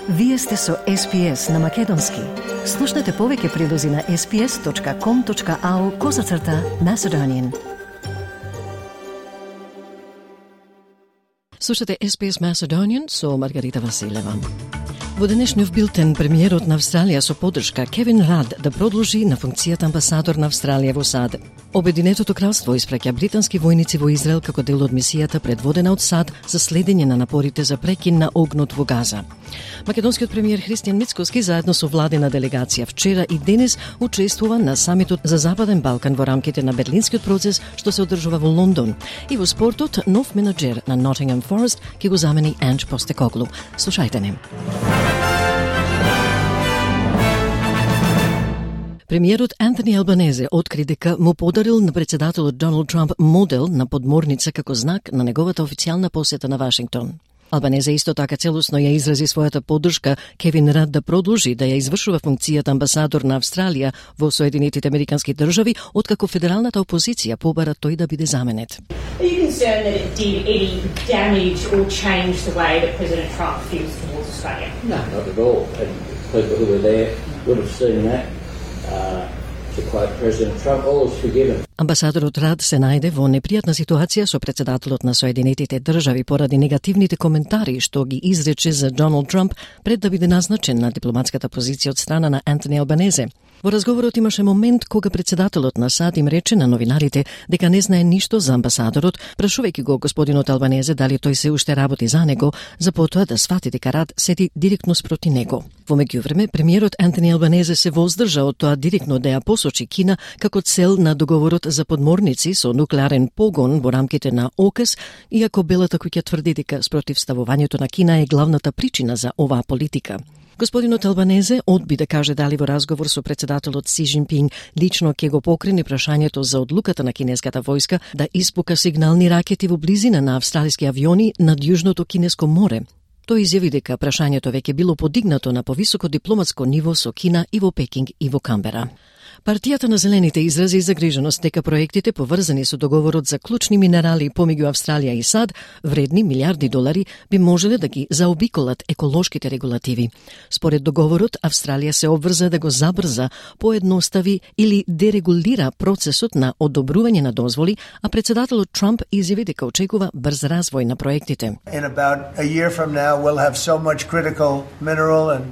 Вие сте со SPS на Македонски. Слушнете повеќе прилози на sps.com.au/Macedonian. Слушате SPS Macedonian со Маргарита Василева. Во денешниот билтен, премиерот на Австралија со поддршка Кевин Рад да продолжи на функцијата амбасадор на Австралија во САД. Обединетото кралство испраќа британски војници во Израел како дел од мисијата предводена од САД за следење на напорите за прекин на огнот во Газа. Македонскиот премиер Христијан Мицкоски заедно со владена делегација вчера и денес учествува на самитот за Западен Балкан во рамките на Берлинскиот процес што се одржува во Лондон. И во спортот, нов менаџер на Nottingham Forest ќе го замени Анж Постекоглу. Слушајте не. Премиерот Антони Албанезе откри дека му подарил на председателот Доналд Трамп модел на подморница како знак на неговата официјална посета на Вашингтон. Албанезе исто така целосно ја изрази својата поддршка Кевин Рад да продолжи да ја извршува функцијата амбасадор на Австралија во Соединетите Американски држави, откако федералната опозиција побара тој да биде заменет. Are you concerned that it did any damage or change the way that President Trump feels towards Australia? No, not at all. And people who were there would have seen that. To quote President Trump, all is forgiven. Амбасадорот Рад се најде во непријатна ситуација со председателот на Соединетите држави поради негативните коментари што ги изрече за Доналд Трамп пред да биде назначен на дипломатската позиција од страна на Антони Албанезе. Во разговорот имаше момент кога председателот на САД им рече на новинарите дека не знае ништо за амбасадорот, прашувајќи го господинот Албанезе дали тој се уште работи за него, за потоа да свати дека Рад седи директно спроти него. Во меѓувреме, премиерот Антони Албанезе се воздржа од тоа директно да ја посочи Кина како цел на договорот за подморници со нуклеарен погон во рамките на ОКС, иако Белата куќа тврди дека спротивставувањето на Кина е главната причина за оваа политика. Господинот Албанезе одби да каже дали во разговор со председателот Си Џинпинг лично ќе го покрени прашањето за одлуката на кинеската војска да испука сигнални ракети во близина на австралиски авиони над Јужното Кинеско море. Тој изјави дека прашањето веќе било подигнато на повисоко дипломатско ниво со Кина и во Пекинг и во Камбера. Партијата на Зелените изрази загриженост дека проектите поврзани со договорот за клучни минерали помеѓу Австралија и САД, вредни милиарди долари, би можеле да ги заобиколат еколошките регулативи. Според договорот, Австралија се обврза да го забрза, поедностави или дерегулира процесот на одобрување на дозволи, а председателот Трамп изјави дека очекува брз развој на проектите. In about a year from now, we'll have so much critical mineral and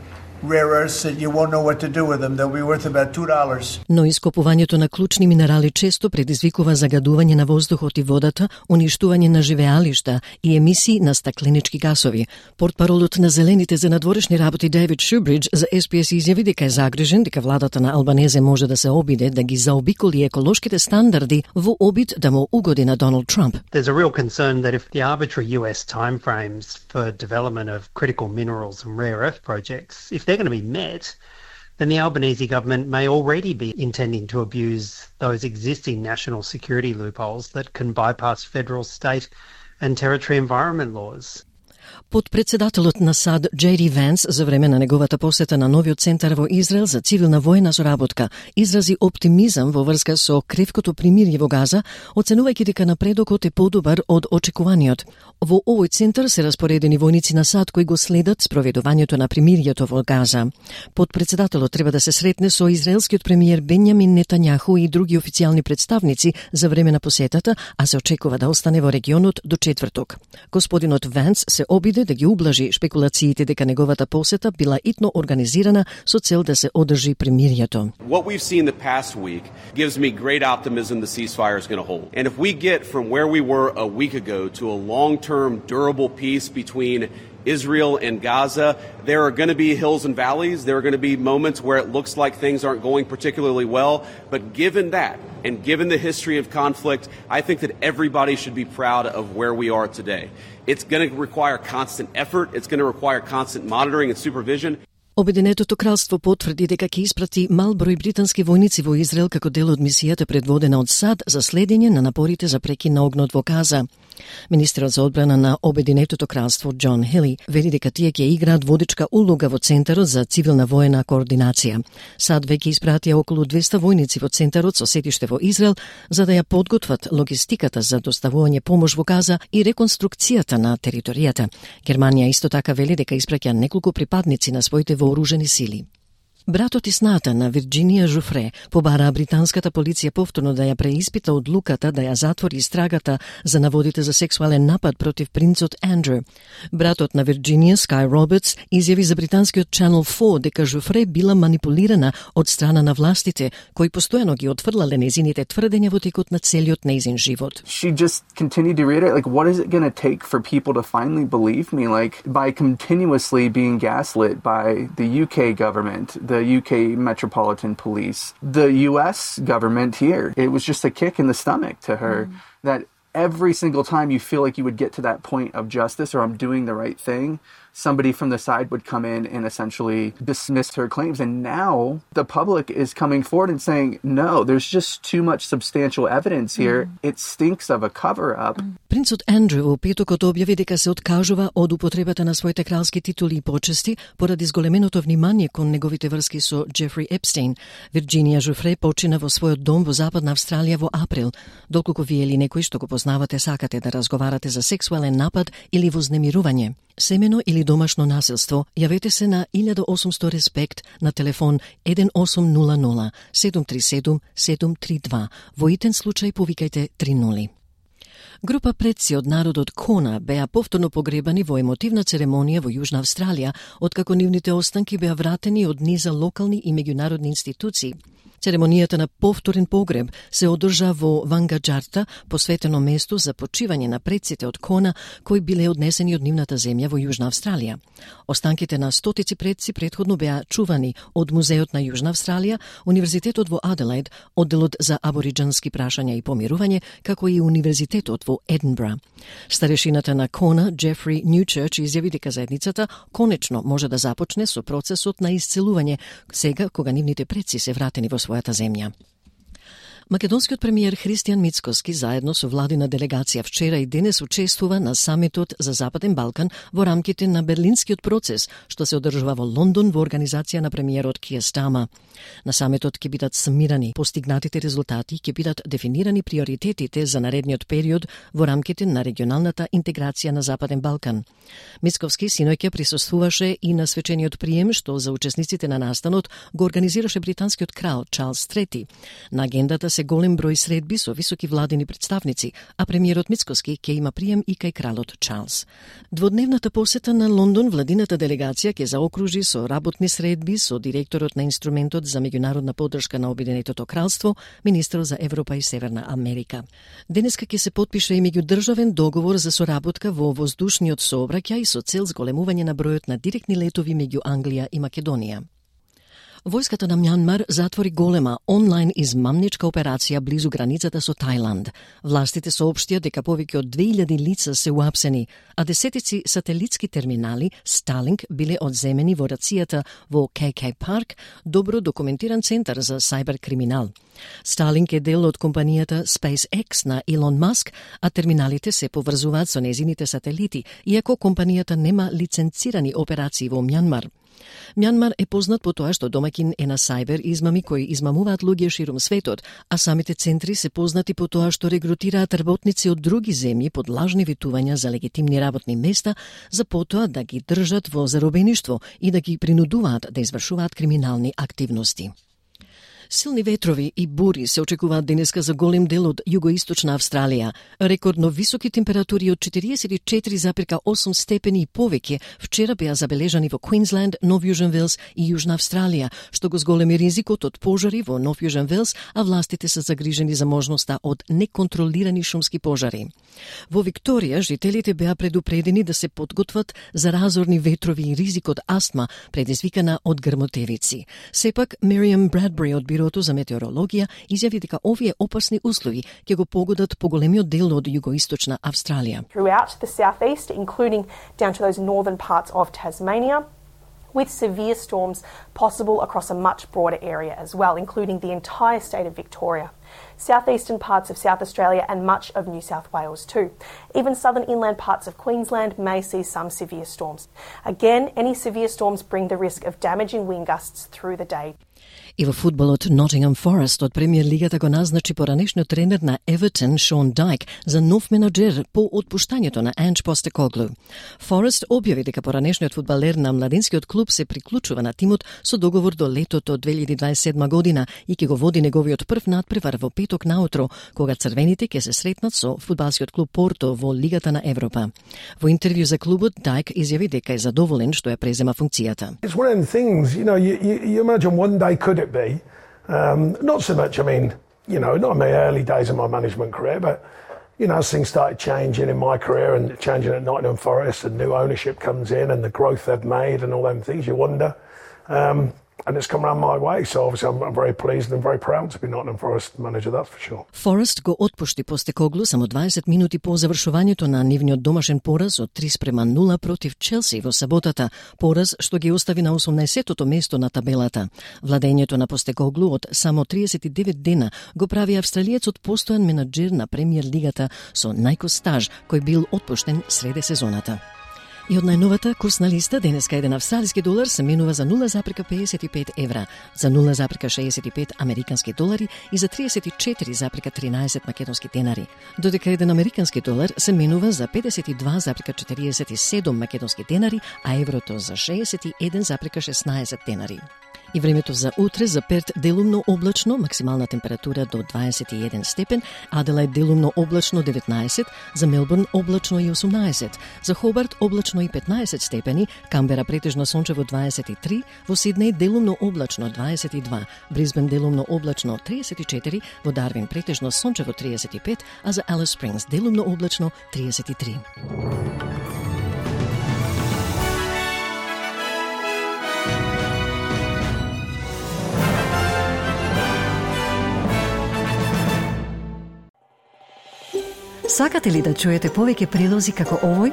rare earths that you won't know what to do with them. They'll be worth about $2. Но ископувањето на клучни минерали често предизвикува загадување на воздухот и водата, уништување на живеалишта и емисии на стакленички гасови. Портпаролот на Зелените за надворешни работи Дейвид Шубридж за SPS изјави дека е загрижен дека владата на Албанезе може да се обиде да ги заобиколи еколошките стандарди во обид да му угоди на Доналд Трамп. There's a real concern that if the arbitrary US timeframes for development of critical minerals and rare earth projects, if they're going to be met, then the Albanese government may already be intending to abuse those existing national security loopholes that can bypass federal, state and territory environment laws. Подпредседателот на САД Джеди Венс за време на неговата посета на новиот центар во Израел за цивилна војна соработка изрази оптимизам во врска со кревкото примирје во Газа, оценувајќи дека напредокот е подобар од очекуваниот. Во овој центар се распоредени војници на САД кои го следат спроведувањето на примирието во Газа. Подпредседателот треба да се сретне со израелскиот премиер Бенјамин Нетањаху и други официјални представници за време на посетата, а се очекува да остане во регионот до четврток. Господинот Венс се обиде да ги ублажи шпекулациите дека неговата посета била итно организирана со цел да се одржи примирието. What we've seen the past week gives me great optimism the ceasefire is going to hold. And if we get from where we were a week ago to a long-term durable peace between Israel and Gaza, there are going to be hills and valleys. There are going to be moments where it looks like things aren't going particularly well. But given that, and given the history of conflict, I think that everybody should be proud of where we are today. It's going to require constant effort. It's going to require constant monitoring and supervision. Обединетото кралство потврди дека ќе испрати мал број британски војници во Израел како дел од мисијата предводена од САД за следење на напорите за прекин на огнот во Газа. Министерот за одбрана на Обединетото кралство Џон Хили вели дека тие ќе играат водечка улога во Центарот за цивилна воена координација. САД веќе испратија околу 200 војници во Центарот со седиште во Израел за да ја подготват логистиката за доставување помош во Газа и реконструкцијата на територијата. Германија исто така вели дека испраќа неколку припадници на своите вооружени сили. Братот и сната на Вирџинија Жуфре побараа британската полиција повторно да ја преиспита одлуката да ја затвори истрагата за наводите за сексуален напад против принцот Андрю. Братот на Вирџинија, Скай Робертс, изјави за британскиот Channel 4 дека Жуфре била манипулирана од страна на властите, кои постојано ги отфрлале нејзините тврдења во текот на целиот нејзин живот. She just continued to reiterate, like, what is it going to take for people to finally believe me? Like, by continuously being gaslit by the UK government, the UK Metropolitan Police, the US government here. It was just a kick in the stomach to her that every single time you feel like you would get to that point of justice or I'm doing the right thing, somebody from the side would come in and essentially dismiss her claims. And now the public is coming forward and saying, no, there's just too much substantial evidence here. It stinks of a cover-up. Принцот Андрю во петокот објави дека се откажува од употребата на своите кралски титули и почести поради зголеменото внимание кон неговите врски со Джефри Епстейн. Вирџинија Жуфре почина во својот дом во Западна Австралија во април. Доколку вие или некој што го познавате сакате да разговарате за сексуален напад или вознемирување, семено или домашно насилство, јавете се на 1800 Респект на телефон 1800 737 732. Во итен случај повикајте 30. Група предци од народот Кона беа повторно погребани во емотивна церемонија во Јужна Австралија, откако нивните останки беа вратени од низа локални и меѓународни институции. Церемонијата на повторен погреб се одржа во Вангаџарта, посветено место за почивање на предците од Кона кои биле однесени од нивната земја во Јужна Австралија. Останките на стотици предци претходно беа чувани од Музеот на Јужна Австралија, Универзитетот во Аделаид, Одделот за абориџански прашања и помирување, како и Универзитетот во Единбра. Старешината на Кона, Джефри Ньючерч, изјави дека заедницата конечно може да започне со процесот на исцелување сега кога нивните предци се вратени во својата земја. Македонскиот премиер Христијан Мицкоски заедно со владина делегација вчера и денес учествува на самитот за Западен Балкан во рамките на Берлинскиот процес, што се одржува во Лондон во организација на премиерот Киер Стама. На самитот ќе бидат самирани постигнатите резултати, ќе бидат дефинирани приоритетите за наредниот период во рамките на регионалната интеграција на Западен Балкан. Мицковски синоќа присуствуваше и на свечениот прием што за учесниците на настанот го организираше британскиот крал Чарлс III. На агендата се голем број средби со високи владини представници, а премиерот Мицкоски ќе има прием и кај кралот Чарлс. Дводневната посета на Лондон владината делегација ќе заокружи со работни средби со директорот на инструментот за меѓународна поддршка на Обединетото кралство, министерот за Европа и Северна Америка. Денеска ќе се потпише и меѓудржавен договор за соработка во воздушниот сообраќај со цел зголемување на бројот на директни летови меѓу Англија и Македонија. Војската на Мјанмар затвори голема онлайн измамничка операција близу границата со Тајланд. Властите соопштија дека повеќе од 2000 лица се уапсени, а десетици сателитски терминали Starlink биле одземени во рацијата во KK Park, добро документиран центар за сајбер криминал. Starlink е дел од компанијата SpaceX на Илон Маск, а терминалите се поврзуваат со незините сателити, иако компанијата нема лиценцирани операции во Мјанмар. Мјанмар е познат по тоа што домаќин е на сајбер измами кои измамуваат луѓе ширум светот, а самите центри се познати по тоа што регрутираат работници од други земји под лажни ветувања за легитимни работни места, за потоа да ги држат во заробеништво и да ги принудуваат да извршуваат криминални активности. Силни ветрови и бури се очекуваат денеска за голем дел од југоисточна Австралија. Рекордно високи температури од 44,8 степени и повеќе вчера беа забележани во Квинсленд, Нов Јужен Велс и Јужна Австралија, што го зголеми ризикот од пожари во Нов Јужен Велс, а властите се загрижени за можноста од неконтролирани шумски пожари. Во Викторија жителите беа предупредени да се подготват за разорни ветрови и ризик од астма предизвикана од грмотевици. Сепак Мериам Брадбери од Бирото за метеорологија изјави дека овие опасни услови ќе го погодат поголемиот дел од југоисточна Австралија. Throughout the southeast, including down to those northern parts of Tasmania, with severe storms possible across a much broader area as well, including the entire state of Victoria, southeastern parts of South Australia and much of New South Wales too. Even southern inland parts of Queensland may see some severe storms. Again, any severe storms bring the risk of damaging wind gusts through the day. И во фудбалот Nottingham Forest од премиер лигата го назначи поранешниот тренер на Everton Sean Dyche за нов менаџер по отпуштањето на Ange Postecoglou. Forest објави дека поранешниот фудбалер на младинскиот клуб се приклучува на тимот со договор до летото 2027 година и ќе го води неговиот прв надпревар во петок наутро, кога црвените ќе се сретнат со фудбалскиот клуб Порто во Лигата на Европа. Во интервју за клубот Dyche изјави дека е задоволен што ја презема функцијата. It's one of the things, you imagine one day could it be? Not so much, not in the early days of my management career, but, as things started changing in my career and changing at Nottingham Forest and new ownership comes in and the growth they've made and all them things, you wonder. And it's come around my way, so obviously I'm very pleased and very proud to be Nottingham Forest manager, that's for sure. Forest го отпушти Постекоглу само 20 минути по завршувањето на нивниот домашен пораз од 3-0 против Челси во саботата, пораз што ги остави на 18-тото место на табелата. Владењето на Постекоглу од само 39 дена го прави австралиецот постојан менаџер на премиер лигата со најкос стаж, кој бил отпуштен среде сезоната. И од најновата курсна листа, денеска еден австралиски долар се менува за 0,55 евра, за 0,65 американски долари и за 34,13 македонски денари, додека еден американски долар се менува за 52,47 македонски денари, а еврото за 61,16 денари. И времето за утре: за Перт делумно облачно, максимална температура до 21 степен, Аделаид делумно облачно 19, за Мелбурн облачно и 18, за Хобарт облачно и 15 степени, Камбера претежно сончево 23, во Сиднеј делумно облачно 22, Брисбен делумно облачно 34, во Дарвин претежно сончево 35, а за Алис Спрингс делумно облачно 33. Сакате ли да чуете повеќе прилози како овој?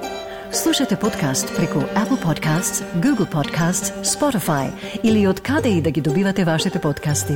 Слушате подкаст преку Apple Podcasts, Google Podcasts, Spotify или од каде и да ги добивате вашите подкасти.